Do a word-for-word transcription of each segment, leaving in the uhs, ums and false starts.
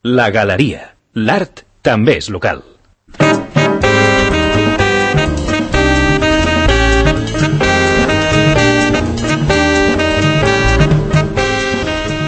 La Galeria. L'art també és local.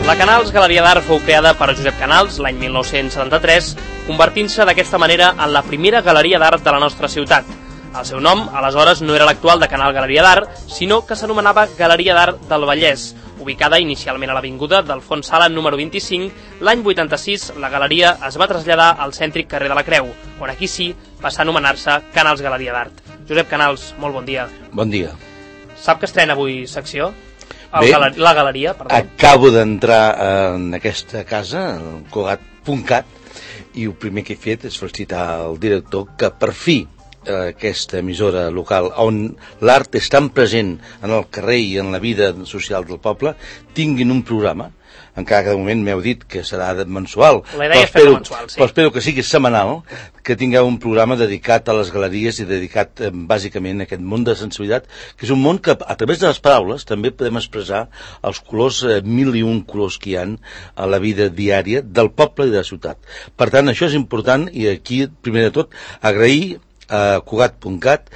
La Canals Galeria d'Art fou creada per Josep Canals l'any mil nou-cents setanta-tres, convertint-se d'aquesta manera en la primera galeria d'art de la nostra ciutat. El seu nom, aleshores, no era l'actual de Canal Galeria d'Art, sinó que s'anomenava Galeria d'Art del Vallès, ubicada inicialment a l'avinguda d'Alfons Sala número vint-i-cinc. L'any vuitanta-sis la galeria es va traslladar al cèntric carrer de la Creu, on aquí sí passa a anomenar-se Canals Galeria d'Art. Josep Canals, molt bon dia. Bon dia. Sap que estrena avui secció? Bé, galer la galeria, perdó. Acabo d'entrar en aquesta casa, el Cugat punt cat, i el primer que he fet és felicitar el director que per fi aquesta emissora local on l'art és tan present en el carrer i en la vida social del poble tinguin un programa. Encara que de moment m'heu dit que serà mensual, la idea és fer-lo mensual, sí. Però espero que sigui setmanal, que tingueu un programa dedicat a les galeries i dedicat eh, bàsicament a aquest món de sensibilitat, que és un món que a través de les paraules també podem expressar els colors, eh, mil i un colors que hi ha a la vida diària del poble i de la ciutat. Per tant, això és important i aquí, primer de tot, agrair a Cugat punt cat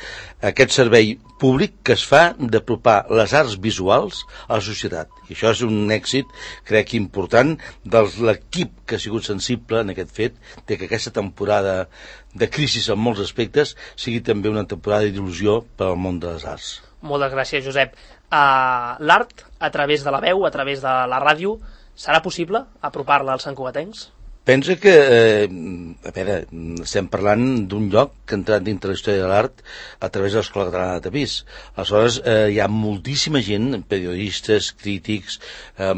aquest servei públic que es fa d'apropar les arts visuals a la societat. I això és un èxit, crec, important de l'equip que ha sigut sensible en aquest fet, de que aquesta temporada de crisi en molts aspectes sigui també una temporada d'il·lusió per al món de les arts. Moltes gràcies, Josep. Uh, L'art, a través de la veu, a través de la ràdio, serà possible apropar-la als santcugatencs? Pensa que, eh, a veure, estem parlant d'un lloc que ha entrat dintre la història de l'art a través de l'Escola Catalana de Tapís. Aleshores, eh, hi ha moltíssima gent, periodistes, crítics, eh,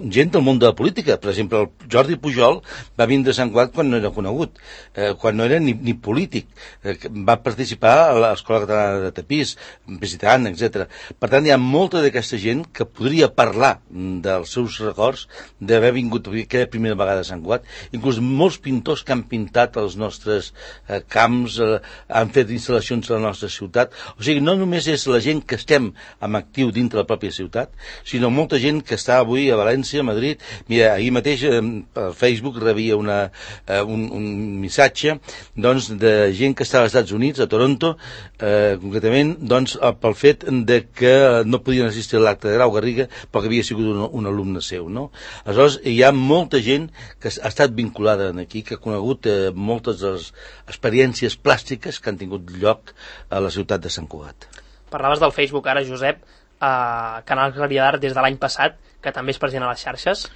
gent del món de la política. Per exemple, el Jordi Pujol va vindre a Sant Cugat quan no era conegut, eh, quan no era ni, ni polític. Eh, va participar a l'Escola Catalana de Tapís, visitant, etcètera. Per tant, hi ha molta d'aquesta gent que podria parlar dels seus records d'haver vingut aquella primera vegada a Sant Cugat. Inclús molts pintors que han pintat els nostres eh, camps, eh, han fet instal·lacions a la nostra ciutat. O sigui, no només és la gent que estem en actiu dintre la pròpia ciutat, sinó molta gent que està avui a València, a Madrid. Mira, ahir mateix eh, per Facebook rebia una, eh, un, un missatge doncs, de gent que està als Estats Units, a Toronto, eh, concretament, doncs, pel fet de que no podien assistir a l'acte de Grau Garriga perquè havia sigut un, un alumne seu, no? Aleshores, hi ha molta gent que ha estat vinculada vinculada aquí, que ha conegut eh, moltes de les experiències plàstiques que han tingut lloc a la ciutat de Sant Cugat. Parlaves del Facebook ara, Josep, eh, Canal Galeria d'Art des de l'any passat, que també és present a les xarxes.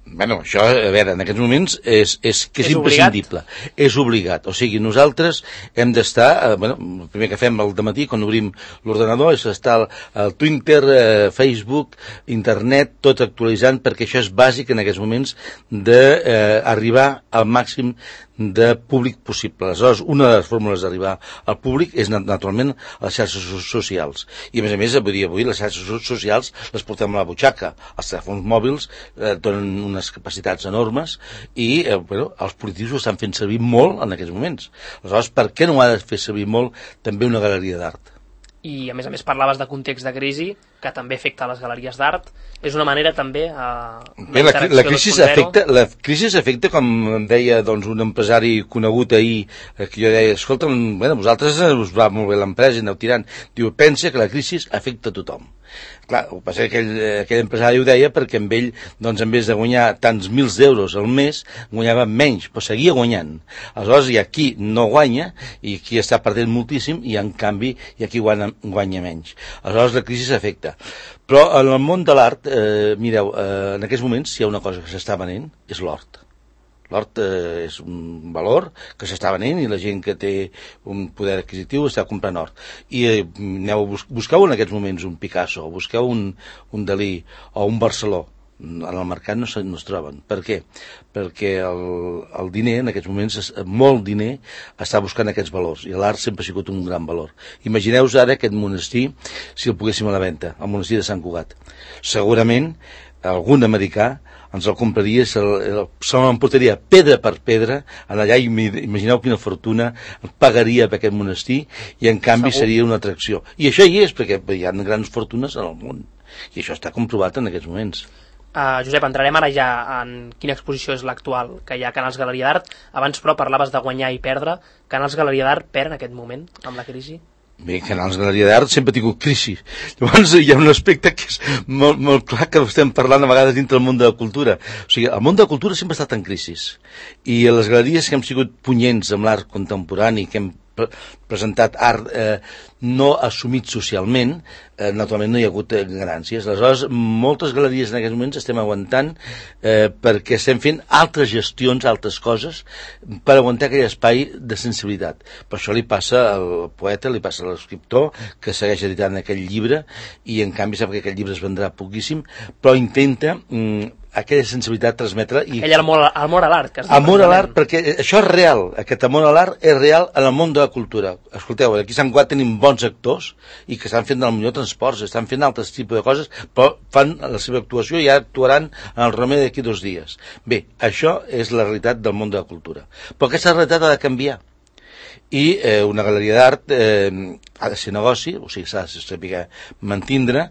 Bueno, això, a veure, en aquests moments és, és que és, és imprescindible. Obligat? És obligat. O sigui, nosaltres hem d'estar, eh, bueno, el primer que fem al dematí, quan obrim l'ordenador, és estar al, al Twitter, eh, Facebook, internet, tot actualitzant, perquè això és bàsic en aquests moments d'arribar eh, al màxim de públic possible. Aleshores, una de les fórmules d'arribar al públic és, naturalment, les xarxes socials. I, a més a més, avui, avui les xarxes socials les portem a la butxaca. Els telèfons mòbils eh, donen unes capacitats enormes i eh, bueno, els polítics ho estan fent servir molt en aquests moments. Aleshores, per què no ho ha de fer servir molt també una galeria d'art? I, a més a més, parlaves de context de crisi, que també afecta les galeries d'art. És una manera també a Bé, la, la, crisi afecta, la crisi afecta, com em deia doncs, un empresari conegut ahir, que jo deia, escolta, bueno, vosaltres us va molt bé l'empresa i aneu tirant. Diu, pensa que la crisi afecta a tothom. Clar, el que passa és que aquell, aquell empresari ho deia perquè amb ell, doncs, en vez de guanyar tants mils d'euros al mes, guanyava menys, però seguia guanyant. Aleshores, hi ha qui no guanya i qui està perdent moltíssim i, en canvi, hi ha qui guanya, guanya menys. Aleshores, la crisi s'afecta. Però en el món de l'art, eh, mireu, eh, en aquests moments, si hi ha una cosa que s'està venent, és l'hort. L'hort eh, és un valor que s'està venent i la gent que té un poder adquisitiu està comprant hort. I eh, aneu, bus busqueu en aquests moments un Picasso, busqueu un, un Dalí o un Barceló. En el mercat no, se, no es troben. Per què? Perquè el, el diner, en aquests moments, molt diner, està buscant aquests valors. I l'art sempre ha sigut un gran valor. Imagineu-vos ara aquest monestir, si el poguéssim a la venda, el monestir de Sant Cugat. Segurament, algun americà ens el compraria, se l'emportaria pedra per pedra, allà, imagineu quina fortuna pagaria per aquest monestir, i en canvi Segur. Seria una atracció. I això hi és, perquè hi ha grans fortunes en el món. I això està comprovat en aquests moments. Uh, Josep, entrarem ara ja en quina exposició és l'actual que hi ha a Canals Galeria d'Art. Abans, però, parlaves de guanyar i perdre. Canals Galeria d'Art perd en aquest moment, amb la crisi? Bé, Canals Galeria d'Art sempre ha tingut crisi. Llavors hi ha un aspecte que és molt, molt clar, que estem parlant a vegades dintre del món de la cultura. O sigui, el món de la cultura sempre ha estat en crisi. I les galeries que hem sigut punyents amb l'art contemporani, que hem presentat art eh, no assumit socialment, eh, naturalment no hi ha hagut eh, ganàncies. Aleshores, moltes galeries en aquests moments estem aguantant eh, perquè estem fent altres gestions, altres coses, per aguantar aquell espai de sensibilitat. Per això li passa al poeta, li passa a l'escriptor, que segueix editant aquell llibre, i en canvi sap que aquell llibre es vendrà poquíssim, però intenta mm, aquella sensibilitat transmetre i... Aquell amor, amor a l'art que es diu. Amor a l'art, perquè això és real, aquest amor a l'art és real en el món de la cultura. Escolteu, aquí a Sant Cugat tenim bons actors i que estan fent del millor transports, estan fent altres tipus de coses, però fan la seva actuació i ja actuaran en el Romer d'aquí dos dies. Bé, això és la realitat del món de la cultura. Però aquesta realitat ha de canviar. I eh, una galeria d'art eh, ha de ser negoci, o sigui, s'ha de saber mantindre,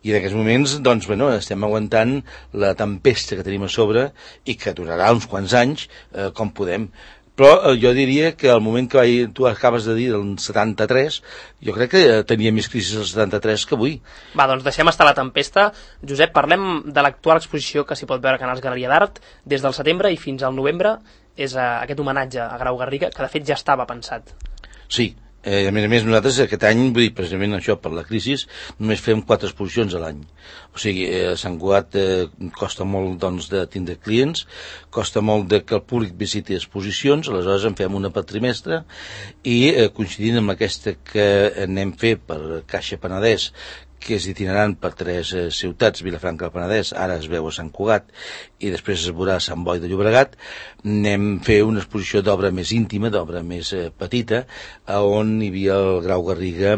i en aquests moments doncs, bueno, estem aguantant la tempesta que tenim a sobre i que durarà uns quants anys, eh, com podem. Però eh, jo diria que al moment que vaig, tu acabes de dir del setanta-tres, jo crec que eh, tenia més crisi del setanta-tres que avui. Va, doncs deixem estar la tempesta. Josep, parlem de l'actual exposició que s'hi pot veure a Canals Galeria d'Art des del setembre i fins al novembre. És uh, aquest homenatge a Grau Garriga, que de fet ja estava pensat. Sí, eh, a més a més nosaltres aquest any, vull dir, precisament això, per la crisi, només fem quatre exposicions a l'any. O sigui, eh, a Sant Cugat eh, costa molt doncs, de tindre clients, costa molt de que el públic visiti exposicions, aleshores en fem una per trimestre, i eh, coincidint amb aquesta que anem fer per Caixa Penedès, que és itinerant per tres eh, ciutats, Vilafranca del Penedès, ara es veu a Sant Cugat, i després es veurà a Sant Boi de Llobregat, anem a fer una exposició d'obra més íntima, d'obra més eh, petita, on hi havia el Grau Garriga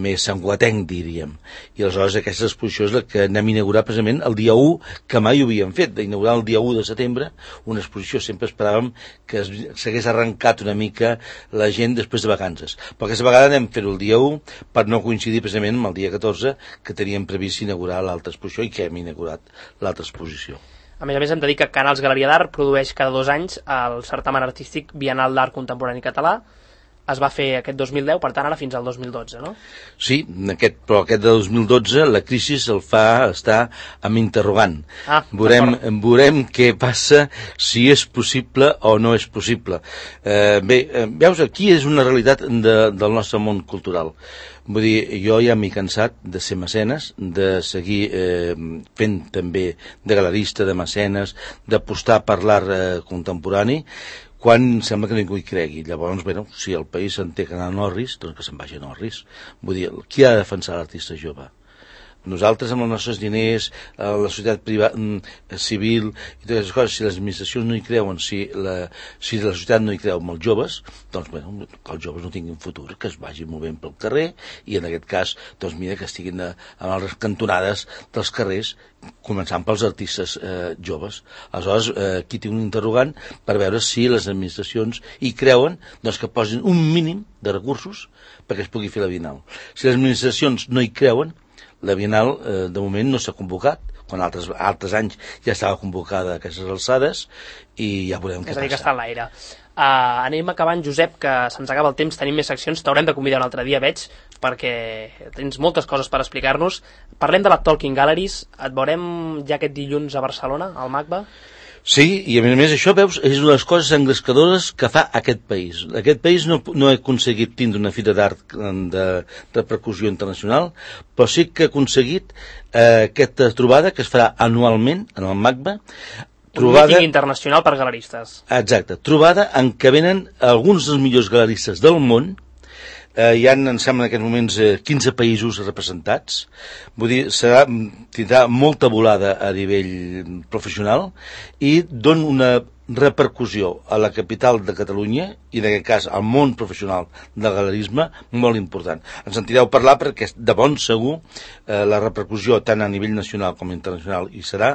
més santcugatenc, diríem. I aleshores aquesta exposició és la que anem a inaugurar precisament el dia u, que mai ho havíem fet, d'inaugurar el dia u de setembre, una exposició, sempre esperàvem que s'hagués arrencat una mica la gent després de vacances. Però aquesta vegada anem a fer-ho el dia u, per no coincidir precisament amb el dia catorze, que teníem previst inaugurar l'altra exposició i que hem inaugurat l'altra exposició. A més a més, hem de dir que Canals Galeria d'Art produeix cada dos anys el certamen artístic Bienal d'Art Contemporani Català. Es va fer aquest dos mil deu, per tant, ara fins al dos mil dotze, no? Sí, aquest, però aquest de dos mil dotze la crisi el fa estar amb interrogant. Ah, veurem, veurem què passa, si és possible o no és possible. Eh, bé, eh, veus, aquí és una realitat de, del nostre món cultural. Vull dir, jo ja m'he cansat de ser mecenes, de seguir eh, fent també de galerista, de mecenes, d'apostar per l'art eh, contemporani, quan sembla que ningú hi cregui. Llavors, bueno, si el país se'n té que anar a Norris, doncs que se'n vagi a Norris. Vull dir, qui ha de defensar l'artista jove? Nosaltres, amb els nostres diners, la societat privada, civil i totes les coses, si les administracions no hi creuen, si la, si la societat no hi creu amb els joves, doncs, bueno, que els joves no tinguin futur, que es vagin movent pel carrer, i en aquest cas, doncs, mira, que estiguin a, a les cantonades dels carrers, començant pels artistes eh, joves. Aleshores, eh, aquí tinc un interrogant per veure si les administracions hi creuen, doncs que posin un mínim de recursos perquè es pugui fer la Bienal. Si les administracions no hi creuen, la Bienal, eh, de moment, no s'ha convocat, quan altres, altres anys ja estava convocada a aquestes alçades, i ja veurem què passa. És a dir, que està en l'aire. Uh, anem acabant, Josep, que se'ns acaba el temps, tenim més seccions, t'haurem de convidar un altre dia, veig, perquè tens moltes coses per explicar-nos. Parlem de la Talking Galleries, et veurem ja aquest dilluns a Barcelona, al MACBA? Sí, i a més a més això, veus, és una de les coses engrescadores que fa aquest país. Aquest país no, no ha aconseguit tindre una fira d'art de repercussió internacional, però sí que ha aconseguit eh, aquesta trobada que es farà anualment en el MACBA. Trobada, un míting internacional per galeristes. Exacte, trobada en què venen alguns dels millors galeristes del món. Eh, hi ha, em sembla, en aquests moments eh, quinze països representats. Vull dir, serà, tindrà molta volada a nivell professional i dona una repercussió a la capital de Catalunya i en aquest cas al món professional del galerisme molt important. Ens sentireu parlar perquè de bon segur eh, la repercussió tant a nivell nacional com internacional hi serà,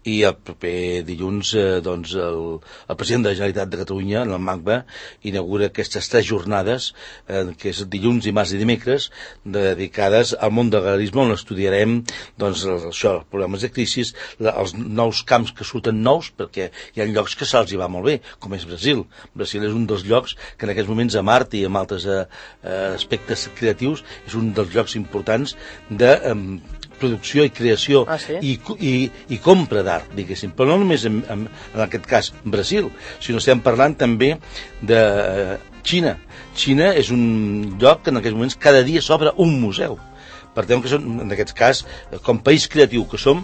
i el proper dilluns eh, doncs el, el president de la Generalitat de Catalunya, en el MACBA, inaugura aquestes tres jornades eh, que és dilluns, dimarts i dimecres, dedicades al món del galerisme, on estudiarem doncs, això, els problemes de crisi, els nous camps que surten nous, perquè hi ha llocs que se'ls hi va molt bé, com és Brasil. Brasil és un dels llocs que en aquests moments a Mart i amb altres eh, aspectes creatius és un dels llocs importants de eh, producció i creació ah, sí? i, i, i compra d'art, diguéssim. Però no només en, en, en aquest cas Brasil, sinó estem parlant també de eh, Xina. Xina és un lloc que en aquests moments cada dia s'obre un museu. Per tant, que som, en aquest cas, com país creatiu que som,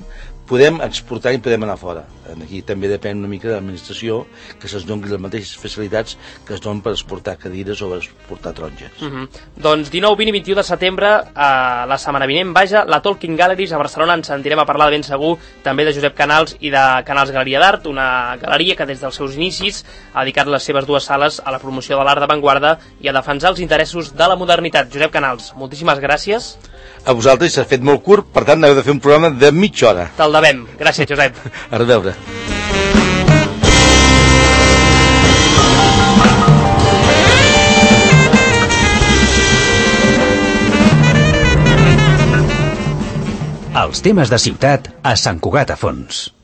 podem exportar i podem anar fora. Aquí també depèn una mica de l'administració que se'ls doni les mateixes facilitats que es donen per exportar cadires o per exportar taronges. Uh -huh. Doncs dinou, vint i vint i u de setembre, a la setmana vinent, vaja, la Talking Galleries a Barcelona. Ens sentirem a parlar de ben segur també de Josep Canals i de Canals Galeria d'Art, una galeria que des dels seus inicis ha dedicat les seves dues sales a la promoció de l'art d'avantguarda i a defensar els interessos de la modernitat. Josep Canals, moltíssimes gràcies. A vosaltres s'ha fet molt curt, per tant heu de fer un programa de mitja hora. Te'l devem. Gràcies, Josep. A reveure. Els temes de ciutat a Sant Cugat a Fons.